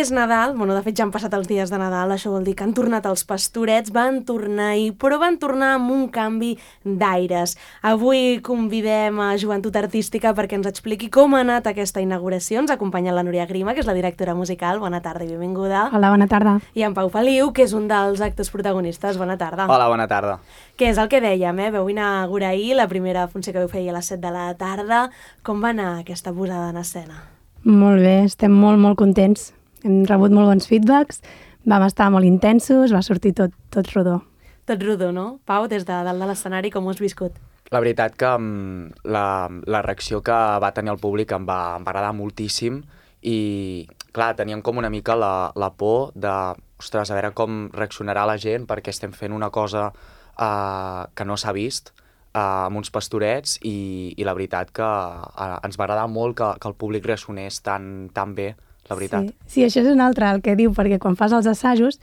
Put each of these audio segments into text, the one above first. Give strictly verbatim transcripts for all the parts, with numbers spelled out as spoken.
És Nadal, bueno, de fet ja han passat els dies de Nadal, això vol dir que han tornat els Pastorets, van tornar ahir, però van tornar amb un canvi d'aires. Avui convidem a Joventut Artística perquè ens expliqui com ha anat aquesta inauguració. Ens acompanya la Núria Grima, que és la directora musical. Bona tarda i benvinguda. Hola, bona tarda. I en Pau Feliu, que és un dels actors protagonistes. Bona tarda. Hola, bona tarda. Què és el que dèiem, eh? Veu inaugurar ahir la primera funció que veu fer a les set de la tarda. Com va anar aquesta posada en escena? Molt bé, estem molt, molt contents. Hem rebut molt bons feedbacks, vam estar molt intensos, va sortir tot, tot rodó. Tot rodó, no? Pau, des de dalt de l'escenari, com ho has viscut? La veritat que um, la, la reacció que va tenir el públic em va, em va agradar moltíssim i, clar, teníem com una mica la, la por de, ostres, a veure com reaccionarà la gent perquè estem fent una cosa uh, que no s'ha vist uh, amb uns pastorets i, i la veritat que uh, ens va agradar molt que, que el públic reaccionés tan, tan bé. La veritat. Sí. sí, això és un altre el que diu, perquè quan fas els assajos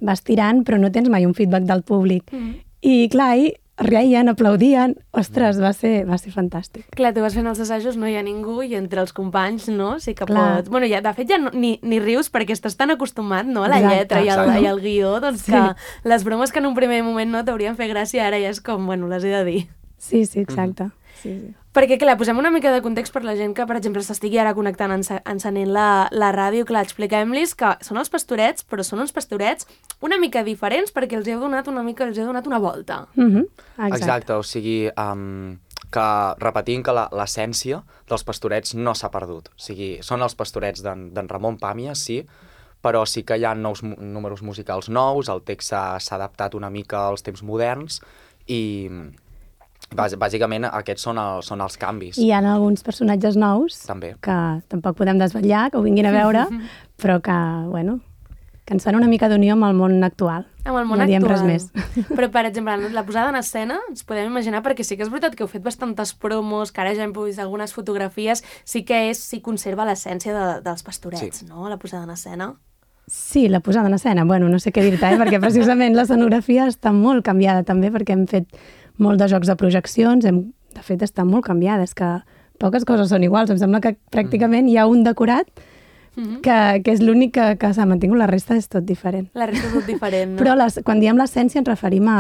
vas tirant però no tens mai un feedback del públic. Mm. I clar, ahir reien, aplaudien, ostres, va ser, va ser fantàstic. Clar, tu vas fent els assajos, no hi ha ningú i entre els companys, no? Sí que clar. pots... Bueno, ja, de fet ja no, ni, ni rius perquè estàs tan acostumat, no?, a la exacte, lletra i al, i al guió, doncs sí. que les bromes que en un primer moment no t'haurien fet gràcia ara ja és com, bueno, les he de dir. Sí, sí, exacte. Mm. Sí, sí. Perquè, clar, posem una mica de context per la gent que, per exemple, s'estigui ara connectant, encenent la, la ràdio. Clar, expliquem-los que són els Pastorets, però són uns Pastorets una mica diferents perquè els heu donat una mica, els heu donat una volta. Mm-hmm. Exacte. Exacte, o sigui, um, que repetint que l'essència dels Pastorets no s'ha perdut. O sigui, són els Pastorets d'en Ramon Pàmies, sí, però sí que hi ha nous números musicals nous, el text s'ha adaptat una mica als temps moderns i... Bàsicament aquests són, el, són els canvis. I hi ha alguns personatges nous també. Que tampoc podem desvetllar, que ho vinguin a veure, però que, bueno, que ens fan una mica d'unió amb el món actual. Amb el món no actual. diem res més. Però, per exemple, la posada en escena, ens podem imaginar, perquè sí que és veritat que heu fet bastantes promos, que ara ja hem vist algunes fotografies, sí que és, sí conserva l'essència de, dels Pastorets, sí. No?, la posada en escena. Sí, la posada en escena, bueno, no sé què dir-te, eh? Perquè precisament l'escenografia està molt canviada també, perquè hem fet molt de jocs de projeccions, hem, de fet està molt canviada, és que poques coses són iguals, em sembla que pràcticament hi ha un decorat mm-hmm. que, que és l'únic que, que s'ha mantingut, la resta és tot diferent. La resta és tot diferent, no? Però les, quan diem l'essència ens referim a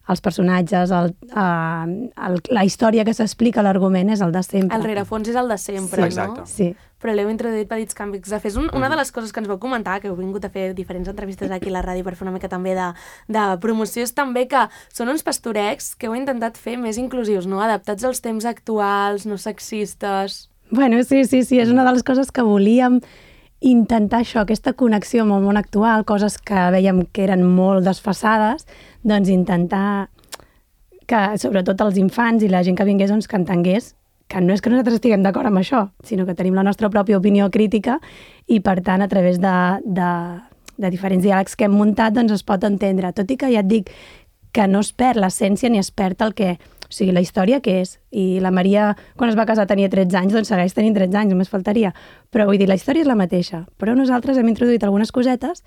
als personatges, el, a, a, la història que s'explica, l'argument és el de sempre. El rerefons és el de sempre, sí, no? Exacte. Sí. Però l'heu introduït petits canvis de fer. Un, una de les coses que ens vau comentar, que heu vingut a fer diferents entrevistes aquí a la ràdio per fer una mica també de, de promoció, és també que són uns pastorecs que heu intentat fer més inclusius, no? Adaptats als temps actuals, no sexistes... Bueno, sí, sí, sí, és una de les coses que volíem intentar això, aquesta connexió amb el món actual, coses que veiem que eren molt desfasades, doncs intentar que, sobretot els infants i la gent que vingués, doncs, que entengués que no és que nosaltres estiguem d'acord amb això, sinó que tenim la nostra pròpia opinió crítica i, per tant, a través de, de, de diferents diàlegs que hem muntat, doncs es pot entendre. Tot i que ja et dic que no es perd l'essència ni es perd el que... O sigui, la història que és. I la Maria, quan es va casar, tenia tretze anys, doncs segueix tenint tretze anys, només faltaria. Però vull dir, la història és la mateixa. Però nosaltres hem introduït algunes cosetes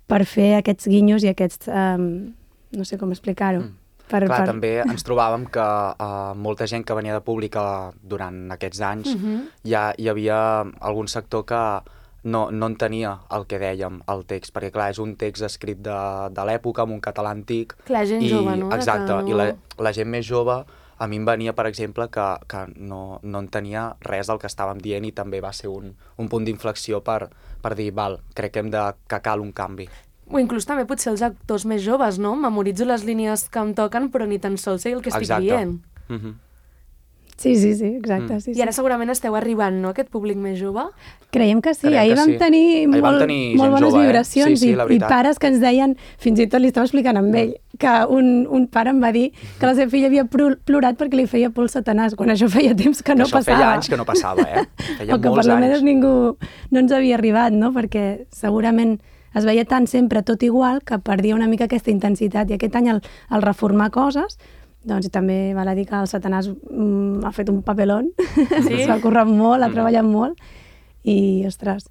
per fer aquests guinyos i aquests... Um, no sé com explicar-ho. Mm. Per, Clar, per... també ens trobàvem que uh, molta gent que venia de pública durant aquests anys mm-hmm. ja hi havia algun sector que no, no entenia el que dèiem, el text, perquè clar, és un text escrit de, de l'època, amb un català antic. Clar, gent i, jove, no? Exacte, no... i la, la gent més jove, a mi em venia, per exemple, que, que no, no entenia res del que estàvem dient i també va ser un, un punt d'inflexió per, per dir, val, crec que, hem de, que cal un canvi. O inclús també potser els actors més joves, no? Memoritzo les línies que em toquen, però ni tan sols sé el que estic exacte. dient. Mm-hmm. Sí, sí, sí, exacte. Mm. Sí, sí. I ara segurament esteu arribant, no?, aquest públic més jove? Creiem que sí. Creiem Ahir que vam sí. tenir Ahir molt, vam tenir molt bones jove, vibracions eh? sí, sí, i, i pares que ens deien, fins i tot li estava explicant amb ell, que un, un pare em va dir que la seva filla havia plorat perquè li feia por el Satanàs, quan això feia temps que no això passava. Això feia anys que no passava, eh? Feia o que per almenys ningú no ens havia arribat, no? Perquè segurament es veia tant sempre tot igual que perdia una mica aquesta intensitat i aquest any al, al reformar coses, doncs també val a dir que el Satanàs mm, ha fet un papelón, sí? s'ha currat molt, ha treballat molt i, ostres,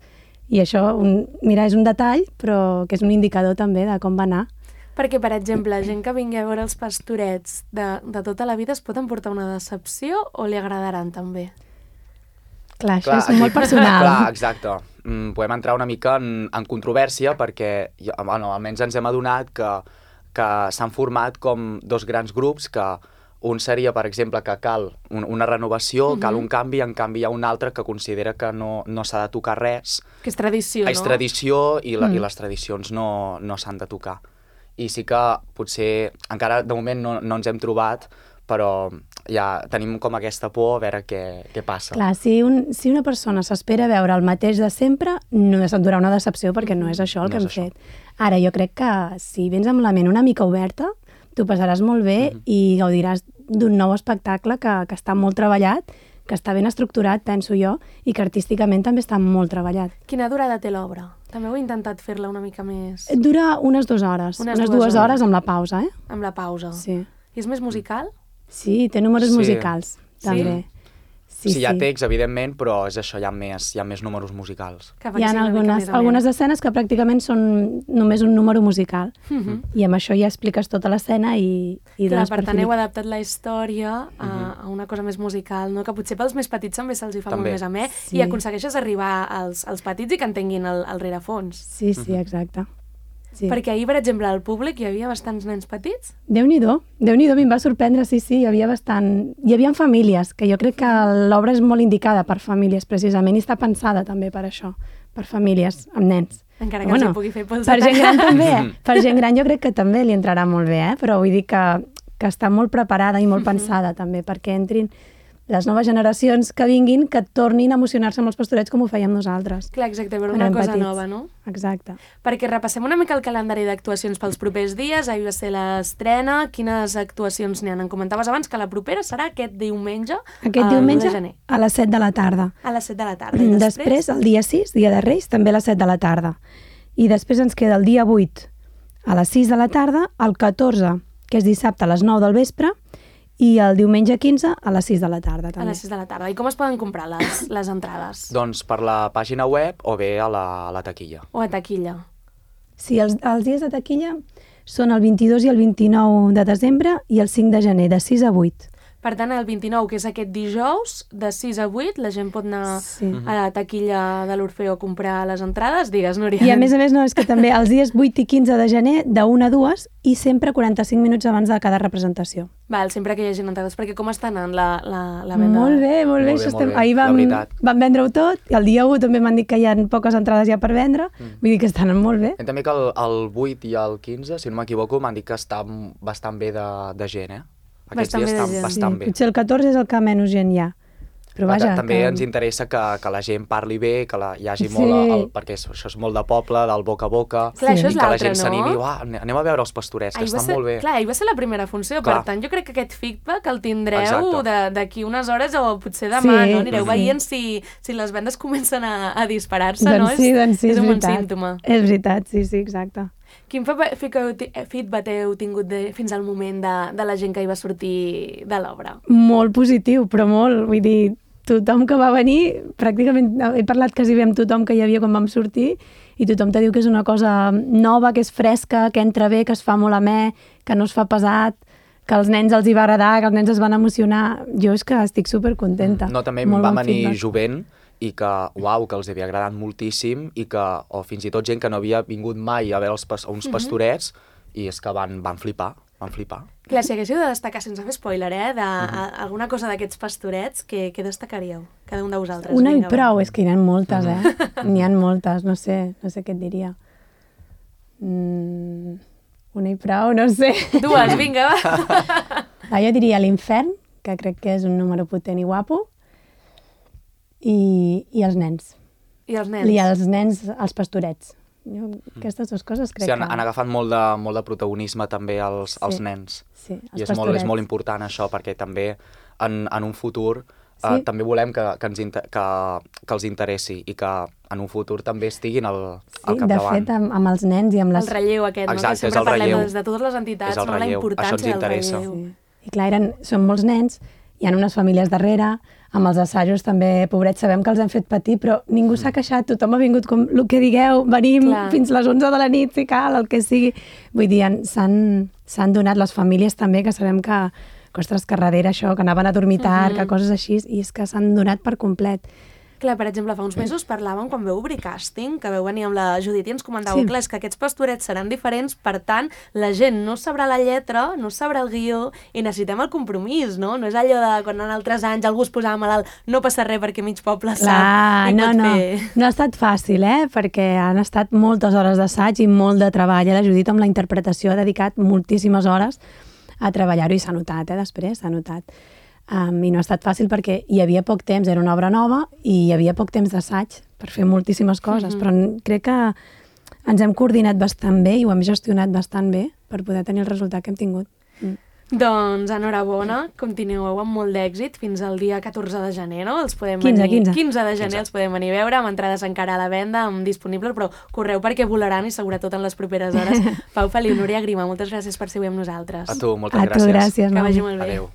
i això, un, mira, és un detall, però que és un indicador també de com va anar. Perquè, per exemple, gent que vingui a veure els Pastorets de, de tota la vida es pot emportar una decepció o li agradaran també? Clar, això clar, és molt personal. Clar, exacte. mm, podem entrar una mica en, en controvèrsia perquè, bueno, almenys ens hem adonat que, que s'han format com dos grans grups que un seria, per exemple, que cal un, una renovació, uh-huh. cal un canvi, en canvi hi ha un altre que considera que no, no s'ha de tocar res. Que és tradició, és no? És tradició i, la, mm. i les tradicions no, no s'han de tocar. I sí que potser, encara de moment no, no ens hem trobat, però ja tenim com aquesta por a veure què, què passa. Clar, si, un, si una persona s'espera veure el mateix de sempre, no es durà una decepció perquè no és això el No que és hem això. fet. Ara, jo crec que si vens amb la ment una mica oberta, t'ho passaràs molt bé Mhm. i gaudiràs d'un nou espectacle que, que està molt treballat, que està ben estructurat, penso jo, i que artísticament també està molt treballat. Quina durada té l'obra? També heu intentat fer-la una mica més... Dura unes dues hores, Unes unes, dues dues hores. hores amb la pausa, eh? Amb la pausa. Sí. I és més musical? Sí, té números Sí. musicals, també. Sí, Sí, hi ha text, evidentment, però és això, hi ha més, hi ha més números musicals. Que Hi ha vagi una mica algunes, més amè. algunes escenes que pràcticament són només un número musical. Mhm. I amb això ja expliques tota l'escena i, i Clar, dones per per tant, heu finit. adaptat la història a, a una cosa més musical, no? Que potser pels més petits també se'ls hi fa També. molt més amè Sí. i aconsegueixes arribar als, als petits i que entenguin el, el rerefons. Sí, sí, exacte. Sí. Perquè ahir, per exemple, al públic hi havia bastants nens petits. Déu-n'hi-do, Déu-n'hi-do, a mi em va sorprendre, sí, sí, hi havia bastant... Hi havia famílies, que jo crec que l'obra és molt indicada per famílies, precisament, i està pensada també per això, per famílies amb nens. Encara que Bueno, els hi pugui fer pels Per gent gran també, Mhm. eh? Per gent gran jo crec que també li entrarà molt bé, eh? Però vull dir que, que està molt preparada i molt Mhm. pensada també, perquè entrin les noves generacions que vinguin, que tornin a emocionar-se amb els pastorets com ho fèiem nosaltres. Clar, exacte, veure quan una érem cosa petits. nova, no? Exacte. Perquè repassem una mica el calendari d'actuacions pels propers dies. Ahir va ser l'estrena. Quines actuacions n'hi ha? Em comentaves abans que la propera serà aquest diumenge, Aquest el diumenge u de gener, a les set de la tarda. a les set de la tarda. I després, Després, el dia sis, dia de Reis, també a les set de la tarda. I després ens queda el dia vuit a les sis de la tarda, el catorze, que és dissabte a les nou del vespre, i el diumenge quinze a les sis de la tarda, a també. les sis de la tarda. I com es poden comprar les, les entrades? Doncs per la pàgina web o bé a la, a la taquilla. O a taquilla? Sí, els, els dies de taquilla són el vint-i-dos i el vint-i-nou de desembre i el cinc de gener, de sis a vuit. Per tant, el vint-i-nou, que és aquest dijous, de sis a vuit, la gent pot anar Sí. a la taquilla de l'Orfeo a comprar les entrades. Digues, Núria. I a més a més, no, és que també els dies vuit i quinze de gener, de una a dues, i sempre quaranta-cinc minuts abans de cada representació. Val, sempre que hi hagi entrades, perquè com està anant la, la, la venda? Molt bé, molt bé. Molt Això bé, estem... molt bé. Ahir La vam, veritat. vam vendre-ho tot, i el dia u també m'han dit que hi ha poques entrades ja per vendre, Mm. vull dir que estan molt bé. I també que el, el vuit i el quinze, si no m'equivoco, m'han dit que està bastant bé de, de gent, eh? Aquests Bastant dies bé de estan gent. bastant sí. bé. Potser el catorze és el que menys gent hi ha. Però Però vaja, ta- també que... ens interessa que, que la gent parli bé, que la, hi hagi Sí. molt, el, perquè és- això és molt de poble, del boca a boca, Clar, Sí. això és i que la l'altre, gent s'animi, no? uah, ane- anem a veure els pastorets, que Ahir va estan ser, molt bé. Clar, ahir va ser la primera funció, Clar. per tant, jo crec que aquest feedback el tindreu Exacte. de- d'aquí unes hores o potser demà, Sí, no? Anireu sí. veient si, si les vendes comencen a, a disparar-se, doncs no? sí, és, doncs sí, és és un bon veritat. símptoma. És veritat, sí, sí, exacte. Quin fe- fe- que heu ti- feedback heu tingut de, fins al moment de, de la gent que hi va sortir de l'obra? Molt positiu, però molt, vull dir, tothom que va venir, pràcticament he parlat quasi bé amb tothom que hi havia quan vam sortir i tothom te diu que és una cosa nova, que és fresca, que entra bé, que es fa molt amè, que no es fa pesat, que als nens els hi va agradar, que els nens es van emocionar. Jo és que estic supercontenta. No, també Molt va bon venir feedback. jovent i que, uau, que els havia agradat moltíssim i que, o fins i tot gent que no havia vingut mai a veure els pas, uns pastorets i és que van, van flipar, van flipar. Clar, si haguéssiu de destacar, sense fer spoiler, eh, de, a, alguna cosa d'aquests pastorets, què, què destacaríeu? Cada un de vosaltres. Una i Vinga, va. prou, és que hi ha moltes, eh? N'hi ha moltes, no sé, no sé què et diria. Mm, una i prou, no sé. Dues, vinga, va. Ah, jo diria l'Infern, que crec que és un número potent i guapo, i, i els nens. I els nens? I els nens, els pastorets. Jo, aquestes dues coses crec Sí, han, que... han agafat molt de, molt de protagonisme també els, els Sí. nens. Sí, els I és molt, és pastorets. molt important això, perquè també en, en un futur Sí. eh, també volem que, que, ens inter, que, que els interessi i que en un futur també estiguin al, al Sí, de capdavant. fet, amb, amb els nens i amb les... El relleu aquest, Exacte, no? és Que sempre el parlem relleu. des de totes les entitats, És el no? La relleu, això ens importància del interessa. relleu. Sí. I clar, eren, són molts nens, hi ha unes famílies darrere, amb els assajos també, pobrets, sabem que els hem fet patir, però ningú s'ha queixat, tothom ha vingut com el que digueu, venim Clar. fins les onze de la nit, si cal, el que sigui. Vull dir, han- s'han s'han donat les famílies també, que sabem que, que ostres, que darrere això, que anaven a dormir tard, Mhm. que coses així, i és que s'han donat per complet. Clar, per exemple, fa uns mesos parlàvem quan veu obrir càsting, que veu venir amb la Judit i ens comentàveu, Sí. clar, és que aquests pastorets seran diferents, per tant, la gent no sabrà la lletra, no sabrà el guió i necessitem el compromís, no? No és allò de quan en altres anys algú es posava malalt, no passa res perquè mig poble sap Clar, i no, pot no, fer... no ha estat fàcil, eh? Perquè han estat moltes hores d'assaig i molt de treball. Eh? La Judit amb la interpretació ha dedicat moltíssimes hores a treballar-ho i s'ha notat, eh? Després s'ha notat. Um, I no ha estat fàcil perquè hi havia poc temps, era una obra nova i hi havia poc temps d'assaig per fer moltíssimes coses, mm-hmm. però crec que ens hem coordinat bastant bé i ho hem gestionat bastant bé per poder tenir el resultat que hem tingut. Mm. Doncs enhorabona, continueu amb molt d'èxit fins al dia catorze de gener, no? Els podem quinze, venir... quinze. quinze de gener quinze. Els podem venir a veure, amb entrades encara a la venda, amb disponibles, però correu perquè volaran i sobretot en les properes hores. Pau Feliu, Núria Grima, moltes gràcies per ser avui amb nosaltres. A tu, moltes A gràcies. tu, gràcies. Que Mau. vagi molt bé. Adéu.